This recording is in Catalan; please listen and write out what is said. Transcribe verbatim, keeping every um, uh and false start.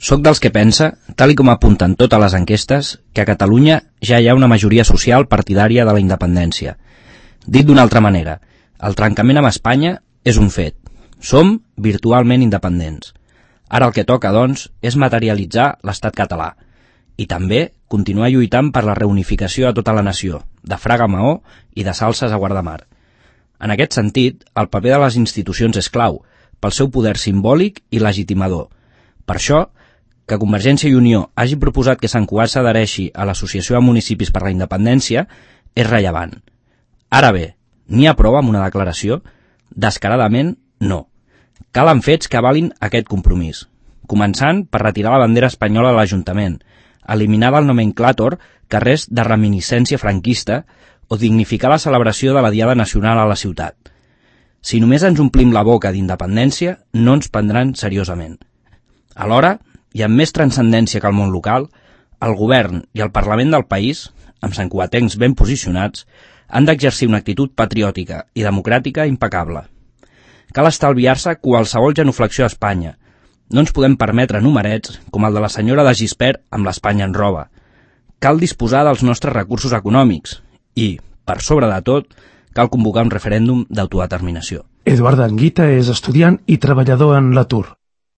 Soc dels que pensa, tal i com apunten totes les enquestes, que a Catalunya ja hi ha una majoria social partidària de la independència. Dit d'una altra manera, el trencament amb Espanya és un fet. Som virtualment independents. Ara el que toca, doncs, és materialitzar l'estat català i també continuar lluitant per la reunificació a tota la nació, de Fraga a Maó i de Salses a Guardamar. En aquest sentit, el paper de les institucions és clau, pel seu poder simbòlic i legitimador. Per això, que Convergència i Unió hagi proposat que Sant Cugat s'adhereixi a l'Associació de Municipis per la Independència és rellevant. Ara bé, n'hi ha prou amb una declaració? Descaradament, no. Calen fets que avalin aquest compromís, començant per retirar la bandera espanyola a l'Ajuntament, eliminar del nomenclàtor carrers de reminiscència franquista o dignificar la celebració de la Diada Nacional a la ciutat. Si només ens omplim la boca d'independència, no ens prendran seriosament. Alhora, i amb més transcendència que el món local, el govern i el Parlament del país, amb santcugatencs ben posicionats, han d'exercir una actitud patriòtica i democràtica impecable. Cal estalviar-se qualsevol genuflexió a Espanya. No ens podem permetre numerets com el de la senyora de Gispert amb l'Espanya en roba. Cal disposar dels nostres recursos econòmics i, per sobre de tot, cal convocar un referèndum d'autodeterminació. Eduard Anguita és estudiant i treballador en l'atur.